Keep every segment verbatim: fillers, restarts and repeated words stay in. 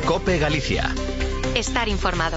COPE Galicia. Estar informado.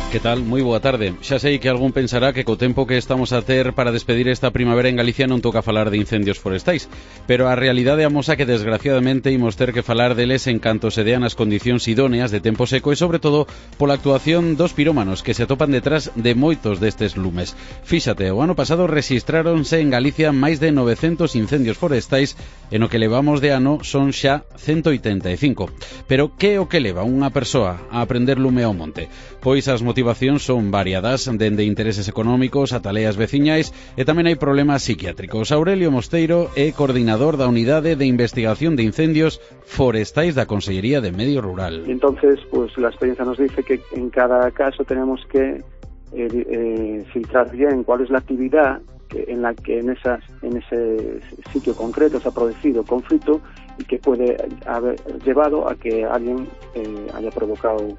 Que tal? Moi boa tarde. Xa sei que algún pensará que co tempo que estamos a ter para despedir esta primavera en Galicia non toca falar de incendios forestais, pero a realidade amosa que desgraciadamente imos ter que falar deles en canto se dean as condicións idóneas de tempo seco e sobre todo pola actuación dos pirómanos que se atopan detrás de moitos destes lumes. Fíxate, o ano pasado rexistráronse en Galicia máis de novecentos incendios forestais e no que levamos de ano son xa ciento oitenta e cinco. Pero que é o que leva unha persoa a aprender lume ao monte? Pois as motivacións son variadas, dende intereses económicos a taleas veciñais e tamén hai problemas psiquiátricos. Aurelio Mosteiro é coordinador da Unidade de Investigación de Incendios Forestais da Consellería de Medio Rural. Entonces, pues la experiencia nos dice que en cada caso tenemos que eh, eh, filtrar bien cuál es la actividad que en la que en esas en ese sitio concreto se ha producido conflicto y que puede haber llevado a que alguien eh, haya provocado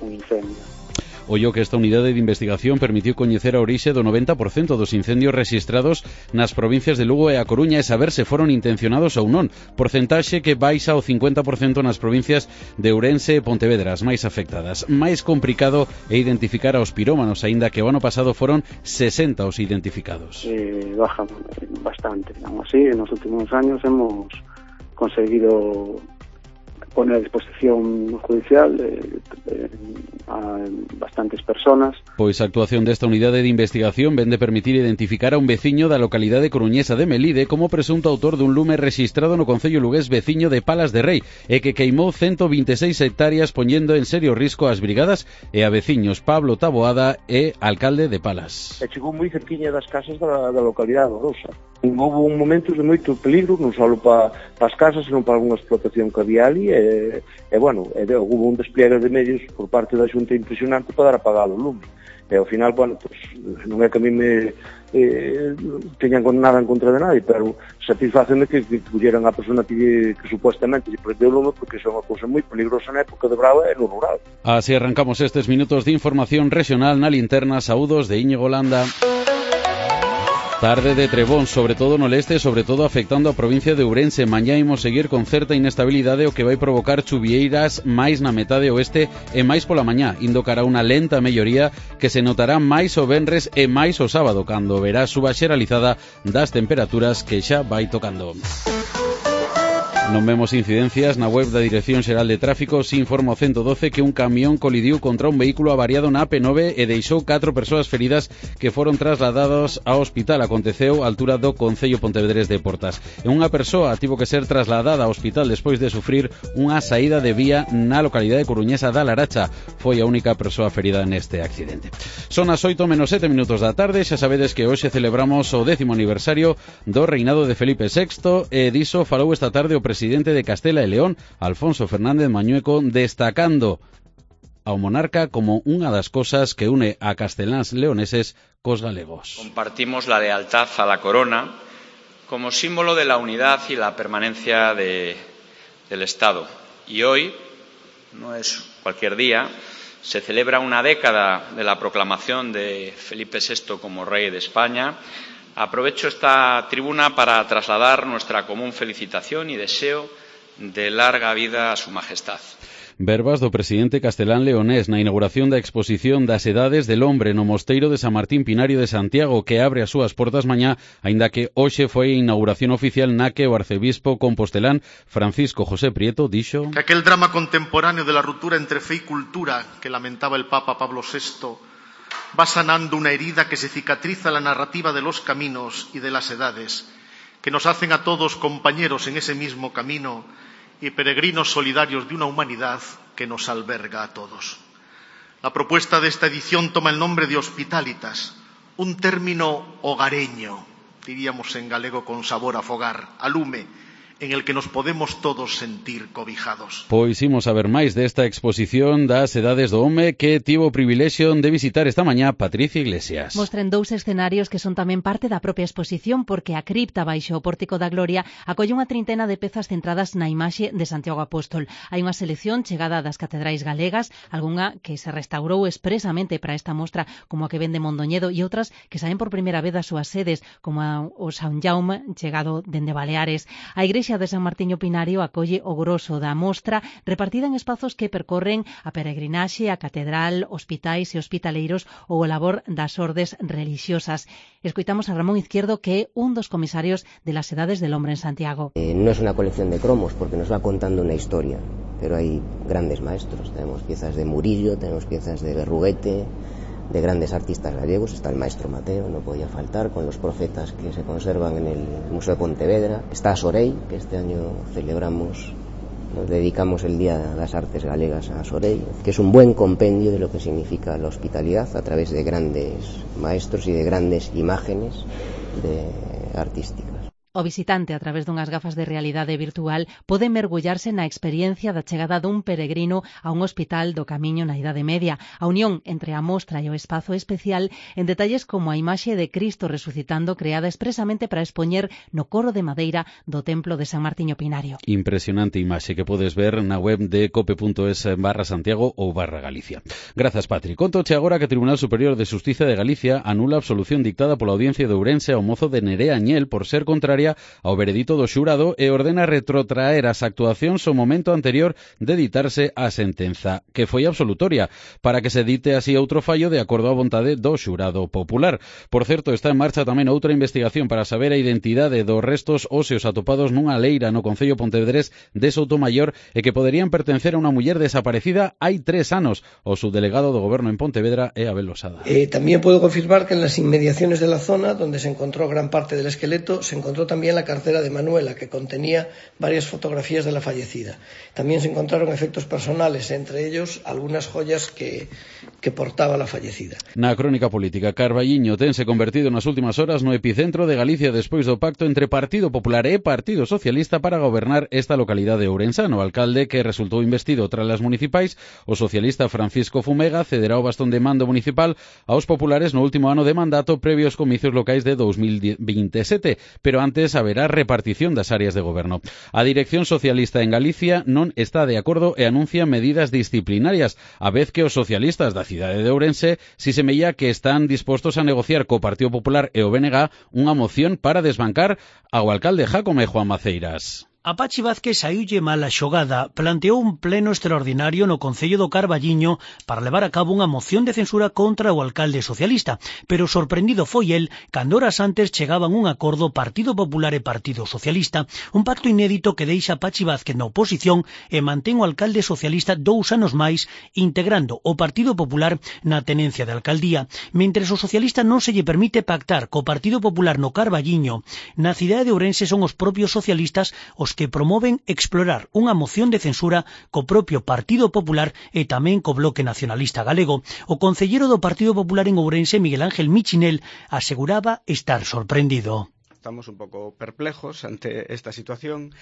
un incendio. Ollo que esta unidade de investigación permitiu coñecer a orixe do noventa por cento dos incendios rexistrados nas provincias de Lugo e A Coruña e saber se foron intencionados ou non, porcentaxe que baixa ao cincuenta por cento nas provincias de Ourense e Pontevedra, as máis afectadas. Máis complicado é identificar aos pirómanos, aínda que o ano pasado foron sesenta os identificados. Eh, baja bastante. Aún así, en los últimos años hemos conseguido poner a disposición judicial eh, eh, a bastantes personas. Pois a actuación desta unidade de investigación vende permitir identificar a un veciño da localidade coruñesa de Melide como presunto autor dun lume rexistrado no concello lugués veciño de Palas de Rei e que queimou ciento vinte e seis hectáreas poñendo en serio risco ás brigadas e a veciños Pablo Taboada e alcalde de Palas. E chegou moi cerquiña das casas da, da localidade de Orosa. Houve un momentos de moito peligro, non só para pa as casas, senón para algunha explotación que había ali, e, e bueno, e, houve un despliegue de medios por parte da Xunta impresionante para dar apagado o lume. E ao final, bueno, pues, non é que a mí me eh, teñan nada en contra de nadie, pero satisfaceme que, que colleran a persona que, que supuestamente lle prendeu o lume, porque é unha cousa moi peligrosa na época de Brava e no rural. Así arrancamos estes minutos de información regional na linterna. Saúdos de Íñigo Landa. Tarde de trebón, sobre todo no leste, sobre todo afectando a provincia de Ourense. Mañá imos seguir con certa inestabilidade, o que vai provocar chuvieiras máis na metade oeste e máis pola mañá, indo cara a unha lenta melloría que se notará máis o venres e máis o sábado, cando verá suba xeralizada das temperaturas que xa vai tocando. Non vemos incidencias na web da Dirección Xeral de Tráfico. Se informa o ciento doce que un camión colidiu contra un vehículo avariado na A P nove e deixou catro persoas feridas que foron trasladadas ao hospital. Aconteceu á altura do concello pontevedrés de Portas. E unha persoa tivo que ser trasladada ao hospital despois de sufrir unha saída de vía na localidade coruñesa da Laracha. Foi a única persoa ferida neste accidente. Son as oito menos sete minutos da tarde. Xa sabedes que hoxe celebramos o décimo aniversario do reinado de Felipe sexto e diso falou esta tarde o presidente presidente de Castela e León, Alfonso Fernández Mañueco, destacando ao monarca como unha das cosas que une a casteláns leoneses cos galegos. Compartimos la lealtad a la corona como símbolo de la unidad y la permanencia de, del Estado. Y hoy, no es cualquier día, se celebra una década de la proclamación de Felipe sexto como rey de España. Aprovecho esta tribuna para trasladar nuestra común felicitación y deseo de larga vida a su majestad. Verbas do presidente castelán leonés na inauguración da exposición das edades del hombre no Mosteiro de San Martín Pinario de Santiago, que abre as súas portas mañá, aínda que hoxe foi a inauguración oficial na que o arcebispo compostelán Francisco José Prieto dixo que aquel drama contemporáneo de la ruptura entre fe y cultura que lamentaba el Papa Pablo sexto va sanando una herida que se cicatriza la narrativa de los caminos y de las edades, que nos hacen a todos compañeros en ese mismo camino y peregrinos solidarios de una humanidad que nos alberga a todos. La propuesta de esta edición toma el nombre de Hospitalitas, un término hogareño, diríamos en galego con sabor a fogar, a lume, en el que nos podemos todos sentir cobijados. Pois imos a ver máis desta exposición das edades do home que tivo o privilexio de visitar esta mañá Patricia Iglesias. Mostren dous escenarios que son tamén parte da propia exposición, porque a cripta baixo o Pórtico da Gloria acolle unha trintena de pezas centradas na imaxe de Santiago Apóstol. Hai unha selección chegada das catedrais galegas, algunha que se restaurou expresamente para esta mostra, como a que vende Mondoñedo, e outras que saen por primeira vez das súas sedes, como o San Jaume, chegado dende Baleares. A Igrexa igrexa de San Martiño Pinario acolle o groso da mostra repartida en espazos que percorren a peregrinaxe, a catedral, hospitais e hospitaleiros ou o labor das ordes religiosas. Escoitamos a Ramón Izquierdo, que é un dos comisarios de las Edades del Hombre en Santiago. Eh, no es una colección de cromos porque nos va contando una historia, pero hay grandes maestros. Tenemos piezas de Murillo, tenemos piezas de Berruguete, de grandes artistas gallegos. Está el maestro Mateo, no podía faltar, con los profetas que se conservan en el Museo de Pontevedra. Está Sorey, que este año celebramos, nos dedicamos el Día de las Artes Galegas a Sorey, que es un buen compendio de lo que significa la hospitalidad a través de grandes maestros y de grandes imágenes de artísticas. O visitante, a través dunhas gafas de realidade virtual, pode mergullarse na experiencia da chegada dun peregrino a un hospital do Camiño na Idade Media. A unión entre a mostra e o espazo especial en detalles como a imaxe de Cristo resucitando creada expresamente para expoñer no coro de madeira do Templo de San Martiño Pinario. Impresionante imaxe que podes ver na web de cope.es barra Santiago ou barra Galicia. Grazas, Patri. Contoche agora que o Tribunal Superior de Xustiza de Galicia anula a absolución dictada pola Audiencia de Ourense ao mozo de Nerea Añel por ser contraria ao veredito do xurado e ordena retrotraer as actuacións ao momento anterior de ditarse a sentenza, que foi absolutoria, para que se dite así outro fallo de acordo á vontade do xurado popular. Por certo, está en marcha tamén outra investigación para saber a identidade dos restos óseos atopados nunha leira no concello pontevedrés de Soutomaior e que poderían pertencer a unha muller desaparecida hai tres anos. O subdelegado do Goberno en Pontevedra é Abel Losada. Eh, también puedo confirmar que en las inmediaciones de la zona donde se encontró gran parte del esqueleto se encontró también la cartera de Manuela, que contenía varias fotografías de la fallecida. También se encontraron efectos personales, entre ellos algunas joyas que, que portaba la fallecida. Na crónica política, Carballiño tense convertido nas últimas horas no epicentro de Galicia despois do pacto entre Partido Popular e Partido Socialista para gobernar esta localidade ourensana. O alcalde, que resultou investido tras as municipais, o socialista Francisco Fumega, cederá o bastón de mando municipal aos populares no último ano de mandato previo aos comicios locais de dos mil veintisiete, pero antes haberá repartición das áreas de goberno. A dirección socialista en Galicia non está de acordo e anuncia medidas disciplinarias, a vez que os socialistas da cidade de Ourense si semella que están dispostos a negociar co Partido Popular e o B N G unha moción para desbancar ao alcalde Jácome Juan Maceiras. A Pachi Vázquez saíulle mal a xogada, planteou un pleno extraordinario no Concello do Carballiño para levar a cabo unha moción de censura contra o alcalde socialista, pero sorprendido foi el cando horas antes chegaban un acordo Partido Popular e Partido Socialista, un pacto inédito que deixa a Pachi Vázquez na oposición e mantén o alcalde socialista dous anos máis integrando o Partido Popular na tenencia de alcaldía, mentres o socialista non se lle permite pactar co Partido Popular no Carballiño. Na cidade de Ourense son os propios socialistas os que promoven explorar unha moción de censura co propio Partido Popular e tamén co Bloque Nacionalista Galego. O concelleiro do Partido Popular en Ourense, Miguel Ángel Michinel, aseguraba estar sorprendido. Estamos un poco perplejos ante esta situación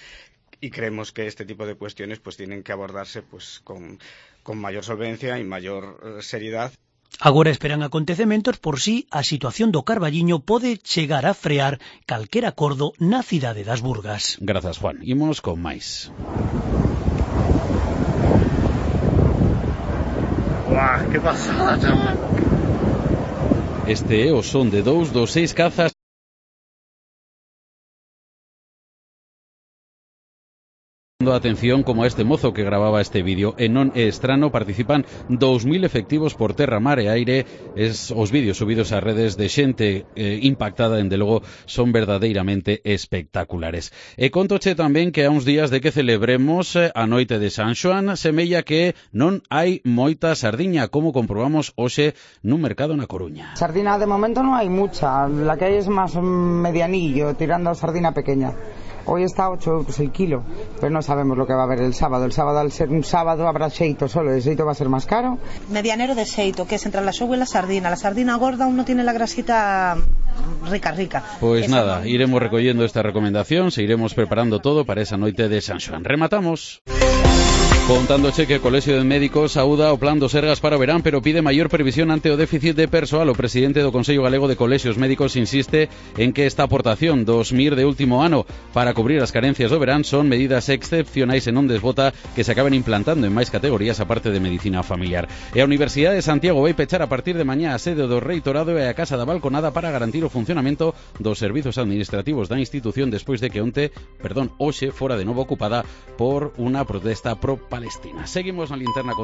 y creemos que este tipo de cuestiones pues tienen que abordarse pues con, con mayor solvencia y mayor eh, seriedad. Agora esperan acontecementos por si a situación do Carballiño pode chegar a frear calquer acordo na cidade das Burgas. Grazas, Juan. Imos con máis. Uah, que pasada, chaval. Este é o son de dous dos seis cazas atención como a este mozo que grababa este vídeo. E non é estrano, participan dous mil efectivos por terra, mar e aire. Es, os vídeos subidos ás redes de xente eh, impactada, dende logo, son verdadeiramente espectaculares. E contoche tamén que a uns días de que celebremos a noite de San Xoán, semella que non hai moita sardiña, como comprobamos hoxe nun mercado na Coruña. Sardina de momento non hai mucha, la que hai es máis medianillo, tirando a sardina pequeña. Hoy está a ocho euros el kilo, pero no sabemos lo que va a haber el sábado. El sábado, al ser un sábado, habrá xeito solo, el xeito va a ser más caro. Medianero de xeito, que es entre la xogua y la sardina. La sardina gorda aún no tiene la grasita rica, rica. Pues Esa nada, no. iremos recogiendo esta recomendación, se iremos preparando todo para esa noite de San Xoán. Rematamos. Contándoche que o Colexio de Médicos saúda o plan do Sergas para o verán, pero pide maior previsión ante o déficit de persoal. O presidente do Consello Galego de Colexios Médicos insiste en que esta aportación dos M I R de último ano para cubrir as carencias do verán son medidas excepcionais e non desbota que se acaben implantando en máis categorías aparte de medicina familiar. E a Universidade de Santiago vai pechar a partir de mañá a sede do Reitorado e a Casa da Balconada para garantir o funcionamento dos servizos administrativos da institución despois de que onte, perdón, hoxe fora de novo ocupada por unha protesta pro Palestina. Seguimos na linterna con